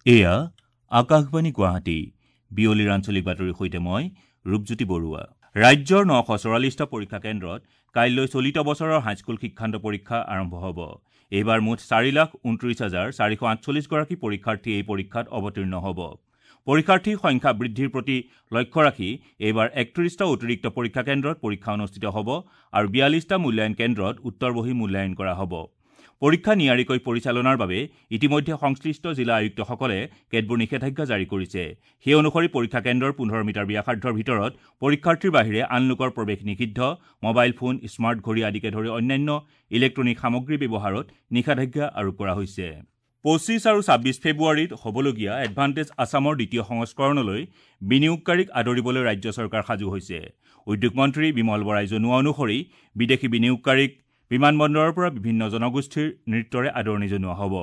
এয়া আকাশবাণী গুৱাহাটী। বিয়লিৰ আঞ্চলিক বাতৰিৰ সৈতে মই ৰূপজ্যোতি বৰুৱা। ৰাজ্যৰ 944টা পৰীক্ষা কেন্দ্ৰত কাইলৈ চলিত বছৰৰ হাইস্কুল শিক্ষান্ত পৰীক্ষা আৰম্ভ হ'ব। এইবাৰ মুঠ 4,29,448 গৰাকী পৰীক্ষাৰ্থী এই পৰীক্ষাত অৱতীৰ্ণ হ'ব। পৰীক্ষাৰ্থীৰ সংখ্যা বৃদ্ধিৰ প্ৰতি লক্ষ্য ৰাখি এইবাৰ 31টা অতিৰিক্ত পৰীক্ষা কেন্দ্ৰত পৰীক্ষা অনুষ্ঠিত হ'ব আৰু 42টা মূল্যায়ন কেন্দ্ৰত উত্তৰ বহী মূল্যায়ন কৰা হ'ব। পৰীক্ষা নিয়াৰিকৈ পৰিচালনাৰ বাবে ইতিমধ্যে সংশ্লিষ্ট জিলা আয়ুক্তসকলে কেতবোৰ নিষেধাজ্ঞা জাৰি কৰিছে। সেই অনুসৰি পৰীক্ষা কেন্দ্ৰৰ 15 মিটাৰ ব্যাসাৰ্ধৰ ভিতৰত পৰীক্ষাৰ্থীৰ বাহিৰে আন লোকৰ প্ৰৱেশ নিষিদ্ধ, মোবাইল ফোন, স্মাৰ্ট ঘড়ী আদিকে ধৰি অন্যান্য ইলেক্ট্ৰনিক সামগ্ৰী ব্যৱহাৰত নিষেধাজ্ঞা আৰোপ কৰা হৈছে। 25 আৰু 26 ফেব্ৰুৱাৰীত হ'বলগীয়া এডভান্টেজ আছামৰ দ্বিতীয় সংস্কৰণলৈ বিনিয়োগকাৰীক আদৰিবলৈ ৰাজ্য চৰকাৰ সাজু হৈছে। উদ্যোগ মন্ত্ৰী বিমল বৰাই জনোৱা অনুসৰি বিদেশী বিনিয়োগকাৰীক বিমানবন্দৰৰ পৰা বিভিন্ন জনগোষ্ঠীৰ নৃত্যৰে আদৰণি জনোৱা হ'ব।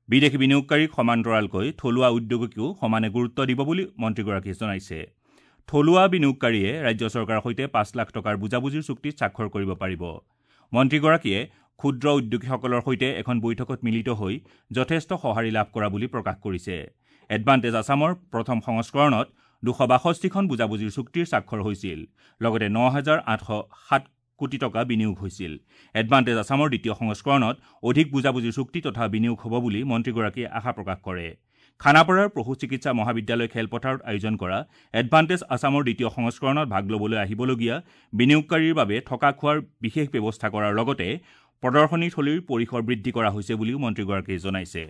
বিদেশী বিনিয়োগকাৰীক সমান্তৰালকৈ থলুৱা উদ্যোগকো সমানে গুৰুত্ব দিব বুলি মন্ত্ৰীগৰাকীয়ে জনাইছে। থলুৱা বিনিয়োগকাৰীয়ে ৰাজ্য চৰকাৰৰ সৈতে 5 লাখ টকাৰ বুজাবুজিৰ চুক্তিত স্বাক্ষৰ কৰিব পাৰিব। মন্ত্ৰীগৰাকীয়ে ক্ষুদ্ৰ উদ্যোগীসকলৰ সৈতে এখন বৈঠকত মিলিত হৈ যথেষ্ট সঁহাৰি লাভ কৰা বুলি প্ৰকাশ কৰিছে। এডভান্টেজ আছামৰ প্ৰথম সংস্কৰণত 262খন বুজাবুজিৰ চুক্তিৰ স্বাক্ষৰ হৈছিল, লগতে 9,807 কোটি টকা বিনিয়োগ হৈছিল। এডভান্টেজ আছামৰ দ্বিতীয় সংস্কৰণত অধিক বুজাবুজিৰ চুক্তি তথা বিনিয়োগ হ'ব বুলি মন্ত্ৰীগৰাকীয়ে আশা প্ৰকাশ কৰে। খানাপাৰাৰ পশু চিকিৎসা মহাবিদ্যালয় খেলপথাৰত আয়োজন কৰা এডভান্টেজ আছামৰ দ্বিতীয় সংস্কৰণত ভাগ ল'বলৈ আহিবলগীয়া বিনিয়োগকাৰীৰ বাবে থকা খোৱাৰ বিশেষ ব্যৱস্থা কৰাৰ লগতে প্ৰদৰ্শনীথলীৰ পৰিসৰ বৃদ্ধি কৰা হৈছে বুলিও মন্ত্ৰীগৰাকীয়ে জনাইছে।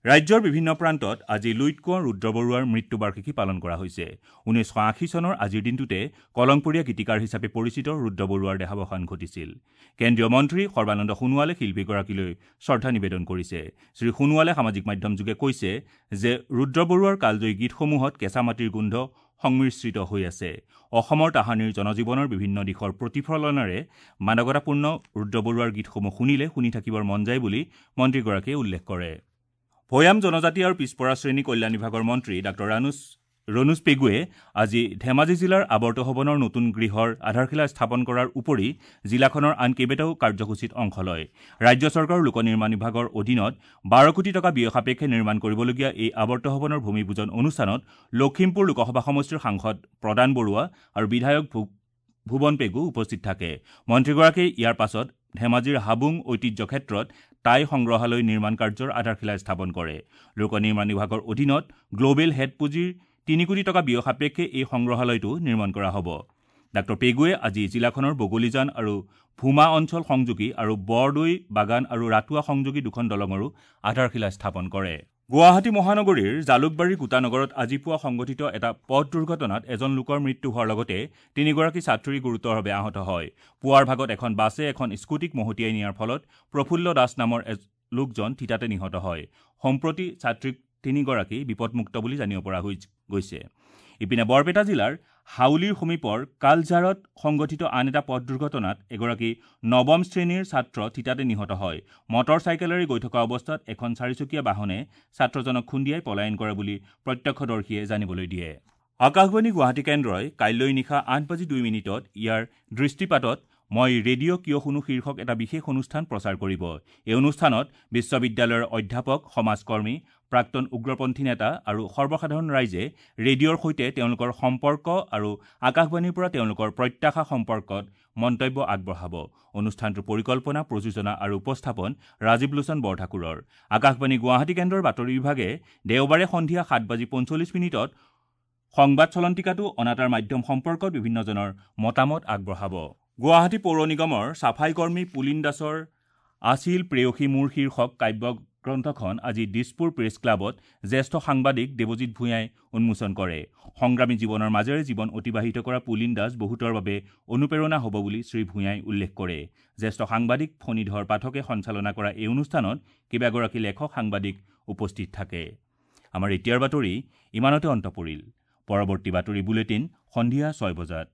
ৰাজ্যৰ বিভিন্ন প্ৰান্তত আজি লুইত কোঁৱৰ ৰুদ্ৰ বৰুৱাৰ মৃত্যুবাৰ্ষিকী পালন কৰা হৈছে। 1980 চনৰ আজিৰ দিনটোতে কলংপৰীয়া গীতিকাৰ হিচাপে পৰিচিত ৰুদ্ৰ বৰুৱাৰ দেহাৱসান ঘটিছিল। কেন্দ্ৰীয় মন্ত্ৰী সৰ্বানন্দ সোণোৱালে শিল্পীগৰাকীলৈ শ্ৰদ্ধা নিবেদন কৰিছে। শ্ৰী সোণোৱালে সামাজিক মাধ্যমযোগে কৈছে যে ৰুদ্ৰ বৰুৱাৰ কালজয়ী গীতসমূহত কেঁচা মাটিৰ গোন্ধ সংমিশ্ৰিত হৈ আছে। অসমৰ তাহানিৰ জনজীৱনৰ বিভিন্ন দিশৰ প্ৰতিফলনেৰে মাদকতাপূৰ্ণ ৰুদ্ৰ বৰুৱাৰ গীতসমূহ শুনিলে শুনি থাকিবৰ মন যায় বুলি মন্ত্ৰীগৰাকীয়ে উল্লেখ কৰে। ভৈয়াম জনজাতি আৰু পিছপৰা শ্ৰেণী কল্যাণ বিভাগৰ মন্ত্ৰী ডাঃ ৰণোজ পেগুৱে আজি ধেমাজি জিলাৰ আৱৰ্ত ভৱনৰ নতুন গৃহৰ আধাৰশিলা স্থাপন কৰাৰ উপৰি জিলাখনৰ আন কেইবাটাও কাৰ্যসূচীত অংশ লয়। ৰাজ্য চৰকাৰৰ লোক নিৰ্মাণ বিভাগৰ অধীনত 12 কোটি টকা ব্যয় সাপেক্ষে নিৰ্মাণ কৰিবলগীয়া এই আৱৰ্ত ভৱনৰ ভূমি পূজন অনুষ্ঠানত লখিমপুৰ লোকসভা সমষ্টিৰ সাংসদ প্ৰদান বৰুৱা আৰু বিধায়ক ভুৱন পেগু উপস্থিত থাকে। মন্ত্ৰীগৰাকীয়ে ইয়াৰ পাছত ধেমাজিৰ হাবুং ঐতিহ্য ক্ষেত্ৰত টাই সংগ্ৰহালয় নিৰ্মাণ কাৰ্যৰ আধাৰশিলা স্থাপন কৰে। লোক নিৰ্মাণ বিভাগৰ অধীনত গ্ল'বেল হেড পুঁজিৰ 3 কোটি টকা ব্যয় সাপেক্ষে এই সংগ্ৰহালয়টো নিৰ্মাণ কৰা হ'ব। ডাঃ পেগুৱে আজি জিলাখনৰ বগলীজান আৰু ভূমা অঞ্চল সংযোগী আৰু বৰদৈ বাগান আৰু ৰাতুৱা সংযোগী দুখন দলঙৰো আধাৰশিলা স্থাপন কৰে। গুৱাহাটী মহানগৰীৰ জালুকবাৰীৰ গোটানগৰত আজি পুৱা সংঘটিত এটা পথ দুৰ্ঘটনাত এজন লোকৰ মৃত্যু হোৱাৰ লগতে তিনিগৰাকী ছাত্ৰী গুৰুতৰভাৱে আহত হয়। পুৱাৰ ভাগত এখন বাছে এখন স্কুটিক মহতিয়াই নিয়াৰ ফলত প্ৰফুল্ল দাস নামৰ লোকজন থিতাতে নিহত হয়। সম্প্ৰতি ছাত্ৰী তিনিগৰাকী বিপদমুক্ত বুলি জানিব পৰা গৈছে। ইপিনে বৰপেটা জিলাৰ হাউলীৰ সমীপৰ কালঝাৰত সংঘটিত আন এটা পথ দুৰ্ঘটনাত এগৰাকী নৱম শ্ৰেণীৰ ছাত্ৰ থিতাতে নিহত হয়। মটৰ চাইকেলেৰে গৈ থকা অৱস্থাত এখন চাৰিচকীয়া বাহনে ছাত্ৰজনক খুন্দিয়াই পলায়ন কৰে বুলি প্ৰত্যক্ষদৰ্শীয়ে জানিবলৈ দিয়ে। আকাশবাণী গুৱাহাটী কেন্দ্ৰই কাইলৈ নিশা 8:02 ইয়াৰ দৃষ্টিপাতত মই ৰেডিঅ' কিয় শুনো শীৰ্ষক এটা বিশেষ অনুষ্ঠান প্ৰচাৰ কৰিব। এই অনুষ্ঠানত বিশ্ববিদ্যালয়ৰ অধ্যাপক, সমাজকৰ্মী, প্ৰাক্তন উগ্ৰপন্থী নেতা আৰু সৰ্বসাধাৰণ ৰাইজে ৰেডিঅ'ৰ সৈতে তেওঁলোকৰ সম্পৰ্ক আৰু আকাশবাণীৰ পৰা তেওঁলোকৰ প্ৰত্যাশা সম্পৰ্কত মন্তব্য আগবঢ়াব। অনুষ্ঠানটোৰ পৰিকল্পনা, প্ৰযোজনা আৰু উপস্থাপন ৰাজীৱ লোচন বৰঠাকুৰৰ। আকাশবাণী গুৱাহাটী কেন্দ্ৰৰ বাতৰি বিভাগে দেওবাৰে সন্ধিয়া 7:45 সংবাদ চলন্তিকাটো অনাতাঁৰ মাধ্যম সম্পৰ্কত বিভিন্নজনৰ মতামত আগবঢ়াব। গুৱাহাটী পৌৰ নিগমৰ চাফাই কৰ্মী পুলিন দাসৰ আছিল প্ৰেয়সী মোৰ শীৰ্ষক কাব্যগ্ৰন্থখন আজি দিছপুৰ প্ৰেছ ক্লাবত জ্যেষ্ঠ সাংবাদিক দেৱজিৎ ভূঞাই উন্মোচন কৰে। সংগ্ৰামী জীৱনৰ মাজেৰে জীৱন অতিবাহিত কৰা পুলিন দাস বহুতৰ বাবে অনুপ্ৰেৰণা হ'ব বুলি শ্ৰী ভূঞাই উল্লেখ কৰে। জ্যেষ্ঠ সাংবাদিক ফণীধৰ পাঠকে সঞ্চালনা কৰা এই অনুষ্ঠানত কেইবাগৰাকী লেখক সাংবাদিক উপস্থিত থাকে। আমাৰ এতিয়াৰ বাতৰি ইমানতে অন্ত পৰিল। পৰৱৰ্তী বাতৰি বুলেটিন সন্ধিয়া 6 বজাত।